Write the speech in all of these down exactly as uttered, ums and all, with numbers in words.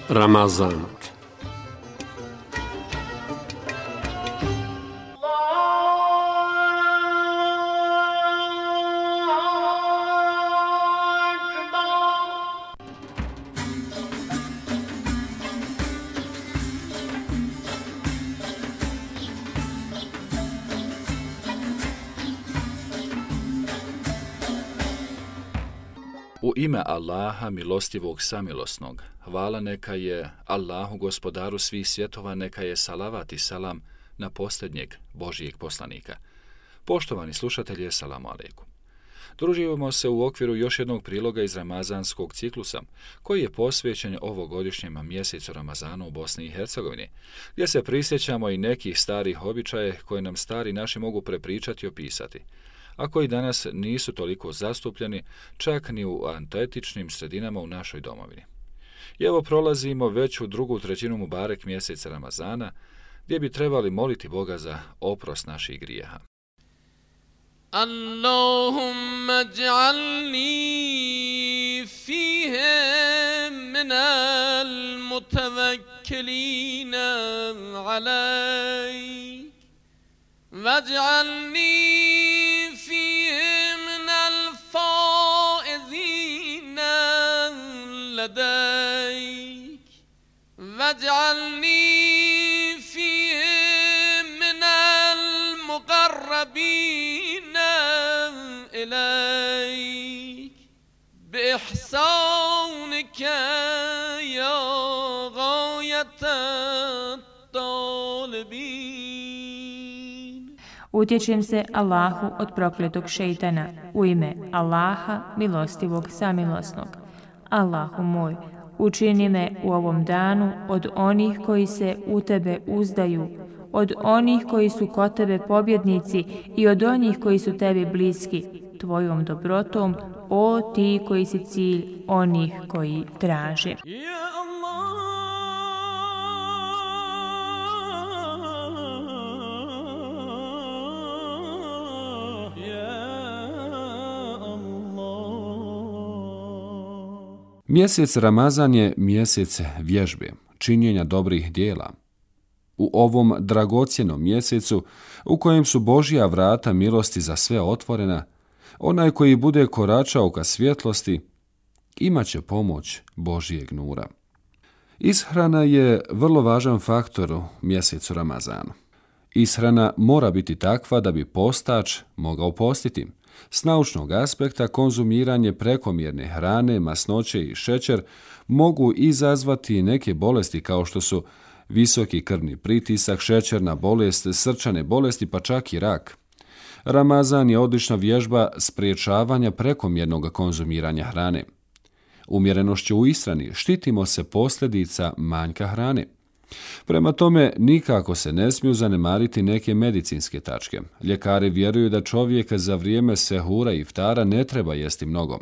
Ramazan. U ime Allaha, milostivog samilosnog, hvala neka je Allahu, gospodaru svih svjetova, neka je salavat i salam na posljednjeg Božijeg poslanika. Poštovani slušatelji, salamu alejkum. Družimo se u okviru još jednog priloga iz ramazanskog ciklusa, koji je posvećen ovogodišnjem mjesecu Ramazanu u Bosni i Hercegovini, gdje se prisjećamo i nekih starih običaja koje nam stari naši mogu prepričati i opisati, a koji danas nisu toliko zastupljeni čak ni u antetičnim sredinama u našoj domovini. I evo prolazimo već u drugu trećinu Mubarek mjeseca Ramazana, gdje bi trebali moliti Boga za oprost naših grijeha. Allahumma ij'alni fihi minal mutawakkilina alayk waj'alni لديك واجعلني فيه من المقربين إليك بإحسانك يا غاية الطالبين. Utječem se Allahu od prokletog šejtana u ime Allaha, milostivog samilosnog. Allahu moj, učini me u ovom danu od onih koji se u tebe uzdaju, od onih koji su kod tebe pobjednici i od onih koji su tebi bliski, tvojom dobrotom, o ti koji si cilj onih koji traže. Mjesec Ramazan je mjesec vježbe, činjenja dobrih dijela. U ovom dragocjenom mjesecu, u kojem su Božja vrata milosti za sve otvorena, onaj koji bude koračao ka svjetlosti, imaće pomoć Božjeg nura. Ishrana je vrlo važan faktor u mjesecu Ramazanu. Ishrana mora biti takva da bi postač mogao postiti. S naučnog aspekta konzumiranje prekomjerne hrane, masnoće i šećer mogu izazvati neke bolesti kao što su visoki krvni pritisak, šećerna bolest, srčane bolesti pa čak i rak. Ramazan je odlična vježba spriječavanja prekomjernog konzumiranja hrane. Umjerenošću u ishrani štitimo se posljedica manjka hrane. Prema tome, nikako se ne smiju zanemariti neke medicinske tačke. Ljekari vjeruju da čovjek za vrijeme sehura i iftara ne treba jesti mnogo.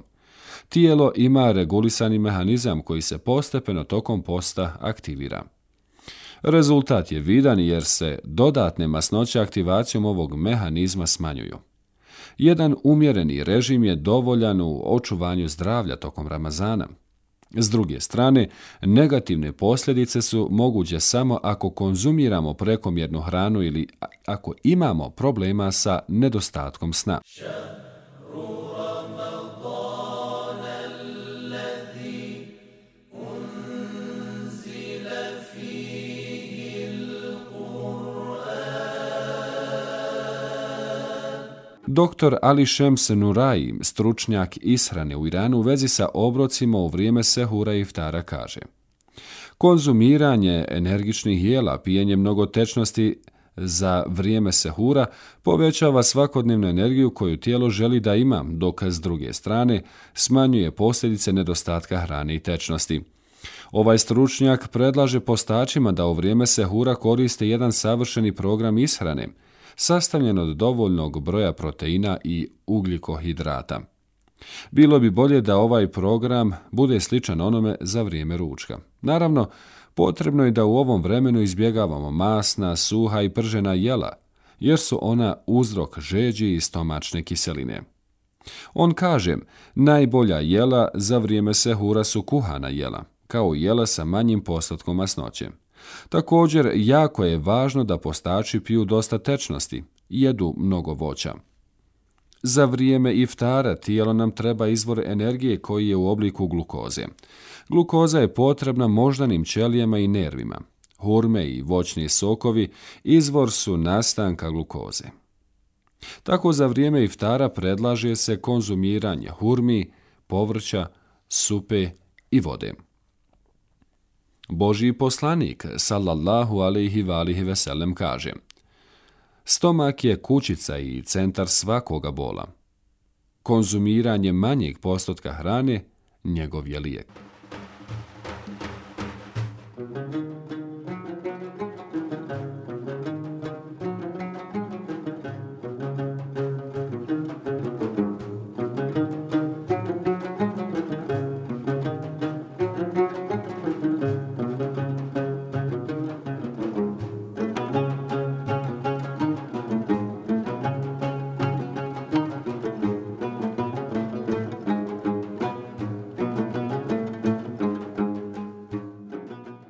Tijelo ima regulisani mehanizam koji se postepeno tokom posta aktivira. Rezultat je vidan jer se dodatne masnoće aktivacijom ovog mehanizma smanjuju. Jedan umjereni režim je dovoljan u očuvanju zdravlja tokom Ramazana. S druge strane, negativne posljedice su moguće samo ako konzumiramo prekomjernu hranu ili ako imamo problema sa nedostatkom sna. Doktor Ali Šems Nurai, stručnjak ishrane u Iranu, u vezi sa obrocima u vrijeme sehura i iftara kaže: konzumiranje energičnih jela, pijenje mnogo tečnosti za vrijeme sehura povećava svakodnevnu energiju koju tijelo želi da ima, dok s druge strane smanjuje posljedice nedostatka hrane i tečnosti. Ovaj stručnjak predlaže postačima da u vrijeme sehura koriste jedan savršeni program ishrane, sastavljen od dovoljnog broja proteina i ugljikohidrata. Bilo bi bolje da ovaj program bude sličan onome za vrijeme ručka. Naravno, potrebno je da u ovom vremenu izbjegavamo masna, suha i pržena jela, jer su ona uzrok žeđi i stomačne kiseline. On kaže, najbolja jela za vrijeme sehura su kuhana jela. kao jela sa manjim postotkom masnoće. Također, jako je važno da postači piju dosta tečnosti i jedu mnogo voća. Za vrijeme iftara tijelo nam treba izvor energije koji je u obliku glukoze. Glukoza je potrebna moždanim ćelijama i nervima. Hurme i voćni sokovi izvor su nastanka glukoze. Tako za vrijeme iftara predlaže se konzumiranje hurmi, povrća, supe i vode. Božji poslanik, sallallahu alejhi ve alihi ve sellem, kaže: stomak je kućica i centar svakoga bola. Konzumiranje manjeg postotka hrane njegov je lijek.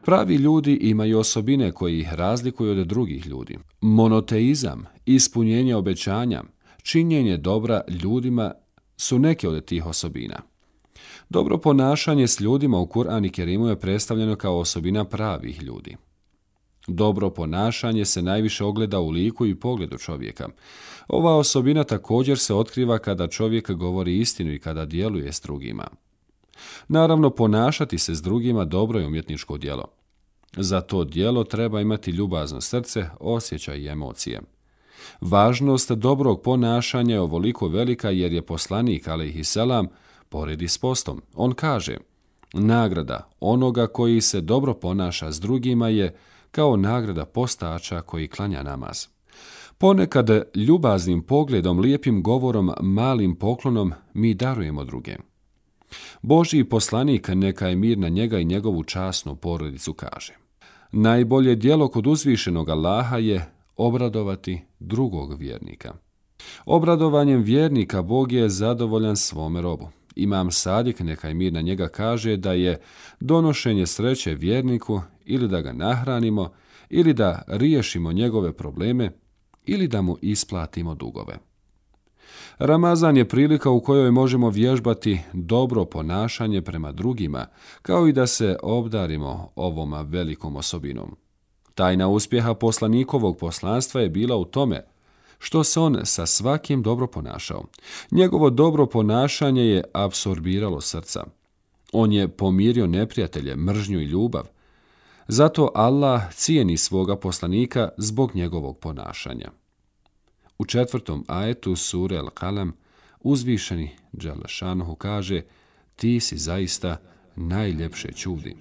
Pravi ljudi imaju osobine koji ih razlikuju od drugih ljudi. Monoteizam, ispunjenje obećanja, činjenje dobra ljudima su neke od tih osobina. Dobro ponašanje s ljudima u Kur'anu Kerimu je predstavljeno kao osobina pravih ljudi. Dobro ponašanje se najviše ogleda u liku i pogledu čovjeka. Ova osobina također se otkriva kada čovjek govori istinu i kada djeluje s drugima. Naravno, ponašati se s drugima dobro je umjetničko djelo. Za to djelo treba imati ljubazno srce, osjećaj i emocije. Važnost dobrog ponašanja je ovoliko velika jer je poslanik alejhiselam poredi s postom. On kaže: nagrada onoga koji se dobro ponaša s drugima je kao nagrada postača koji klanja namaz. Ponekad ljubaznim pogledom, lijepim govorom, malim poklonom mi darujemo druge. Božji poslanik, neka je mir na njega i njegovu časnu porodicu, kaže: najbolje djelo kod uzvišenog Allaha je obradovati drugog vjernika. Obradovanjem vjernika Bog je zadovoljan svome robu. Imam Sadik, neka je mir na njega, kaže da je donošenje sreće vjerniku ili da ga nahranimo, ili da riješimo njegove probleme, ili da mu isplatimo dugove. Ramazan je prilika u kojoj možemo vježbati dobro ponašanje prema drugima, kao i da se obdarimo ovom velikom osobinom. Tajna uspjeha poslanikovog poslanstva je bila u tome što se on sa svakim dobro ponašao. Njegovo dobro ponašanje je apsorbiralo srca. On je pomirio neprijatelje, mržnju i ljubav. Zato Allah cijeni svoga poslanika zbog njegovog ponašanja. U četvrtom ajetu sure Al-Qalam uzvišeni dželle šanuhu kaže: ti si zaista najljepše čudi.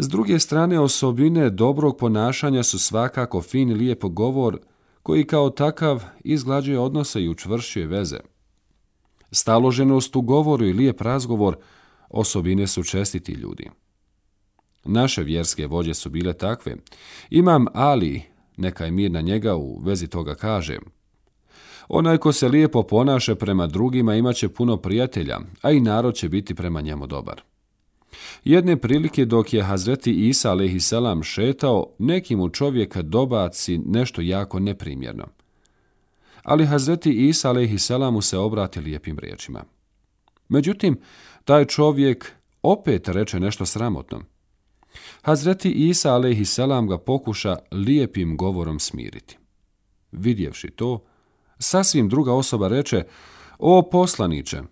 S druge strane, osobine dobrog ponašanja su svakako fin i lijep govor koji kao takav izglađuje odnose i učvršćuje veze. Staloženost u govoru i lijep razgovor osobine su čestiti ljudi. Naše vjerske vođe su bile takve. Imam Ali, neka je mir na njega, u vezi toga kaže: onaj ko se lijepo ponaša prema drugima imat će puno prijatelja, a i narod će biti prema njemu dobar. Jedne prilike dok je Hazreti Isa alejhiselam šetao, neki mu čovjek dobaci nešto jako neprimjerno. Ali Hazreti Isa alejhiselam mu se obrati lijepim riječima. Međutim, taj čovjek opet reče nešto sramotno. Hazreti Isa alejhiselam ga pokuša lijepim govorom smiriti. Vidjevši to, sasvim druga osoba reče: o poslaniče,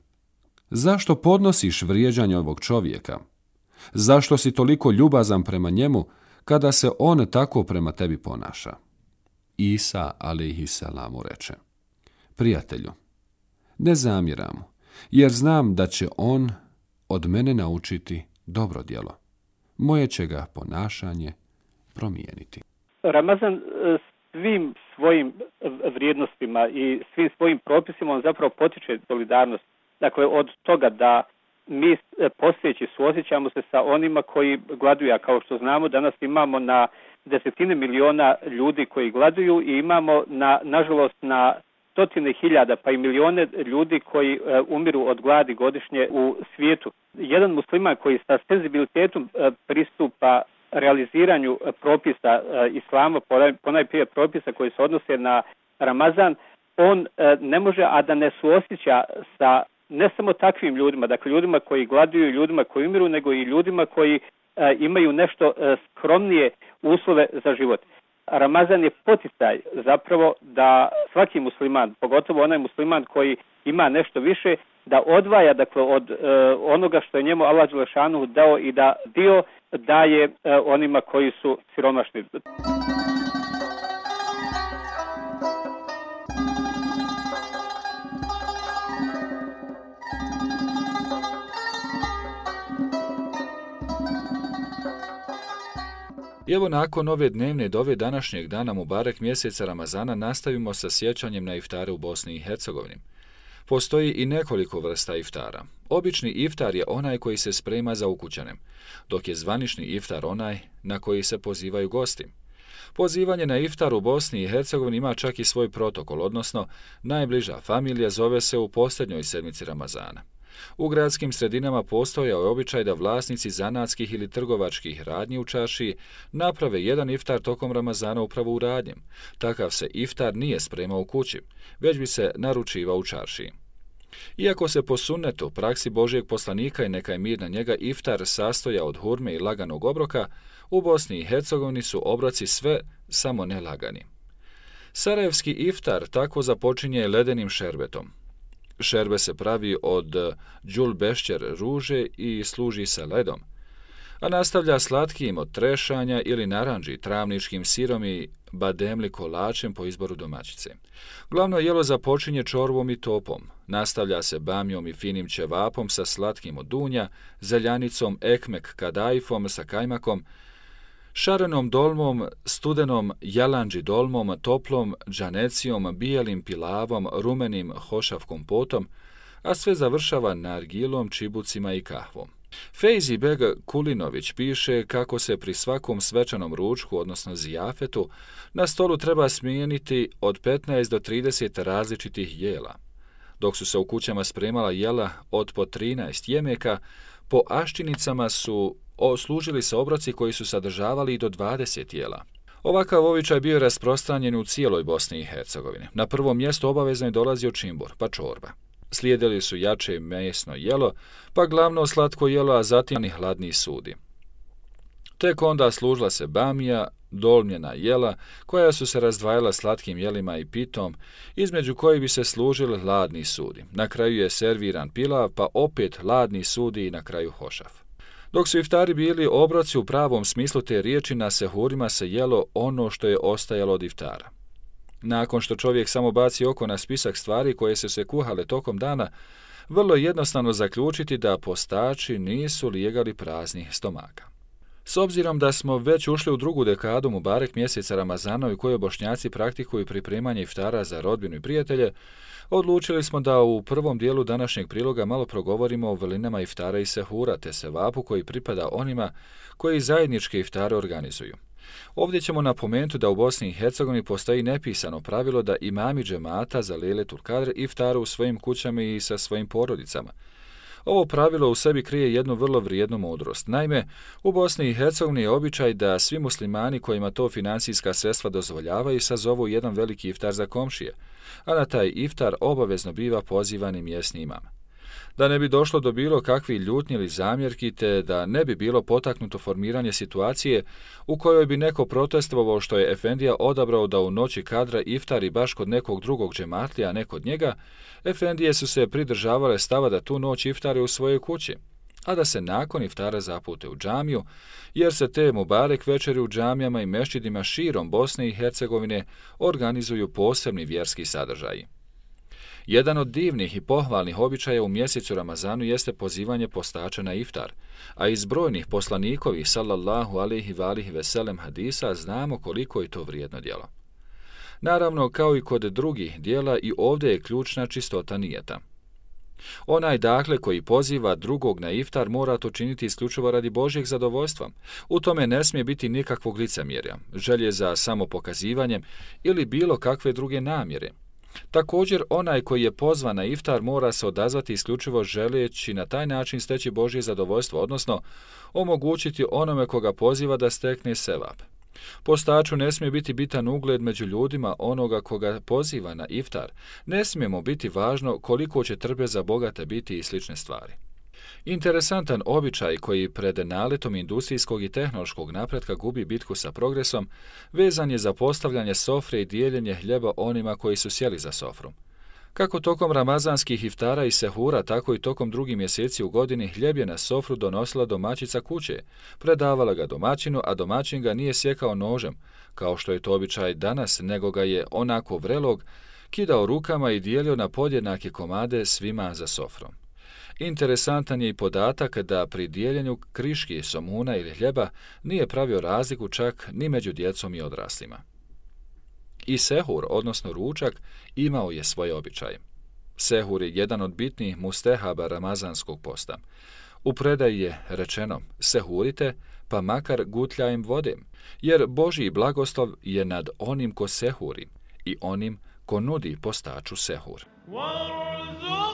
zašto podnosiš vrijeđanje ovog čovjeka? Zašto si toliko ljubazan prema njemu kada se on tako prema tebi ponaša? Isa alejhiselam mu reče: prijatelju, ne zamjeram mu, jer znam da će on od mene naučiti dobro djelo. Moje će ga ponašanje promijeniti. Ramazan svim svojim vrijednostima i svim svojim propisima on zapravo potiče solidarnost. Dakle, od toga da mi postojeći suosjećamo se sa onima koji gladuju, a kao što znamo danas imamo na desetine miliona ljudi koji gladuju i imamo na, nažalost na stotine hiljada pa i milione ljudi koji e, umiru od gladi godišnje u svijetu. Jedan musliman koji sa senzibilitetom e, pristupa realiziranju e, propisa e, islama, ponajprije propisa koji se odnose na Ramazan, on e, ne može a da ne suosjeća sa ne samo takvim ljudima, dakle ljudima koji gladuju, ljudima koji umiru, nego i ljudima koji e, imaju nešto e, skromnije uslove za život. Ramazan je poticaj zapravo da svaki musliman, pogotovo onaj musliman koji ima nešto više, da odvaja dakle od e, onoga što je njemu Allah dželešanu dao i da dio daje e, onima koji su siromašni. I evo nakon ove dnevne dove današnjeg dana Mubarek mjeseca Ramazana nastavimo sa sjećanjem na iftare u Bosni i Hercegovini. Postoji i nekoliko vrsta iftara. Obični iftar je onaj koji se sprema za ukućanem, dok je zvanični iftar onaj na koji se pozivaju gosti. Pozivanje na iftar u Bosni i Hercegovini ima čak i svoj protokol, odnosno najbliža familija zove se u posljednjoj sedmici Ramazana. U gradskim sredinama postojao je običaj da vlasnici zanatskih ili trgovačkih radnji u čaršiji naprave jedan iftar tokom Ramazana upravo u radnjem. Takav se iftar nije spremao u kući, već bi se naručivao u čaršiji. Iako se po sunnetu, praksi Božijeg poslanika i neka je mir na njega, iftar sastoja od hurme i laganog obroka, u Bosni i Hercegovini su obroci sve samo ne lagani. Sarajevski iftar tako započinje ledenim šerbetom. Šerbe se pravi od đulbešćer ruže i služi se ledom, a nastavlja slatkim od trešanja ili naranđi, travničkim sirom i bademli kolačem po izboru domaćice. Glavno jelo započinje čorvom i topom, nastavlja se bamjom i finim ćevapom sa slatkim od dunja, zeljanicom, ekmek kadajfom sa kajmakom, šarenom dolmom, studenom jalanđi dolmom, toplom džanecijom, bijelim pilavom, rumenim hošav kompotom, a sve završava nargilom, čibucima i kahvom. Fejzi Beg Kulinović piše kako se pri svakom svečanom ručku, odnosno zijafetu, na stolu treba smijeniti od petnaest do trideset različitih jela. Dok su se u kućama spremala jela od po trinaest jemeka, po aščinicama su služili se obroci koji su sadržavali i do dvadeset jela. Ovakav običaj bio rasprostranjen u cijeloj Bosni i Hercegovini. Na prvom mjestu obavezno je dolazio čimbur, pa čorba. Slijedili su jače mesno jelo, pa glavno slatko jelo, a zatim i hladni sudi. Tek onda služila se bamija, dolmljena jela, koja su se razdvajala slatkim jelima i pitom, između kojih bi se služili hladni sudi. Na kraju je serviran pilav, pa opet hladni sudi i na kraju hošav. Dok su iftari bili obroci u pravom smislu te riječi, na sehurima se jelo ono što je ostajalo od iftara. Nakon što čovjek samo baci oko na spisak stvari koje su se kuhale tokom dana, vrlo je jednostavno zaključiti da postači nisu lijegali praznih stomaka. S obzirom da smo već ušli u drugu dekadu Mubarek mjeseca Ramazana u kojoj Bošnjaci praktikuju pripremanje iftara za rodbinu i prijatelje, odlučili smo da u prvom dijelu današnjeg priloga malo progovorimo o vrlinama iftara i sehura te sevapu koji pripada onima koji zajedničke iftare organizuju. Ovdje ćemo napomenuti da u Bosni i Hercegovini postoji nepisano pravilo da imami džemata za Lejletul Kadr iftaru u svojim kućama i sa svojim porodicama. Ovo pravilo u sebi krije jednu vrlo vrijednu mudrost. Naime, u Bosni i Hercegovini je običaj da svi muslimani kojima to financijska sredstva dozvoljavaju sazovu jedan veliki iftar za komšije, a na taj iftar obavezno biva pozivani mjesni imam. Da ne bi došlo do bilo kakvih ljutnji ili zamjerki, te da ne bi bilo potaknuto formiranje situacije u kojoj bi neko protestovao što je efendija odabrao da u noći kadra iftari baš kod nekog drugog džematlija, a ne kod njega, efendije su se pridržavale stava da tu noć iftare u svojoj kući, a da se nakon iftara zapute u džamiju, jer se te Mubarek večeri u džamijama i mešćidima širom Bosne i Hercegovine organizuju posebni vjerski sadržaji. Jedan od divnih i pohvalnih običaja u mjesecu Ramazanu jeste pozivanje postača na iftar, a iz brojnih poslanikovih sallallahu alejhi ve alihi ve sellem hadisa znamo koliko je to vrijedno djelo. Naravno, kao i kod drugih djela, i ovdje je ključna čistota nijeta. Onaj dakle koji poziva drugog na iftar mora to činiti isključivo radi Božjeg zadovoljstva. U tome ne smije biti nikakvog licemjerja, želje za samopokazivanjem ili bilo kakve druge namjere. Također, onaj koji je pozvan na iftar mora se odazvati isključivo želeći na taj način steći Božje zadovoljstvo, odnosno omogućiti onome koga poziva da stekne sevap. Postaču ne smije biti bitan ugled među ljudima onoga koga poziva na iftar, ne smijemo biti važno koliko će trpeza bogate biti i slične stvari. Interesantan običaj koji pred naletom industrijskog i tehnološkog napretka gubi bitku sa progresom, vezan je za postavljanje sofre i dijeljenje hljeba onima koji su sjeli za sofru. Kako tokom ramazanskih iftara i sehura, tako i tokom drugih mjeseci u godini hljeb je na sofru donosila domaćica kuće, predavala ga domaćinu, a domaćin ga nije sjekao nožem, kao što je to običaj danas, nego ga je onako vrelog kidao rukama i dijelio na podjednake komade svima za sofrom. Interesantan je i podatak da pri dijeljenju kriški, somuna ili hljeba nije pravio razliku čak ni među djecom i odraslima. I sehur, odnosno ručak, imao je svoje običaje. Sehur je jedan od bitnijih mustehaba ramazanskog posta. U predaji je rečeno, sehurite, pa makar gutljajem vode, jer Božji blagoslov je nad onim ko sehuri i onim ko nudi postaču sehur. وارزقنا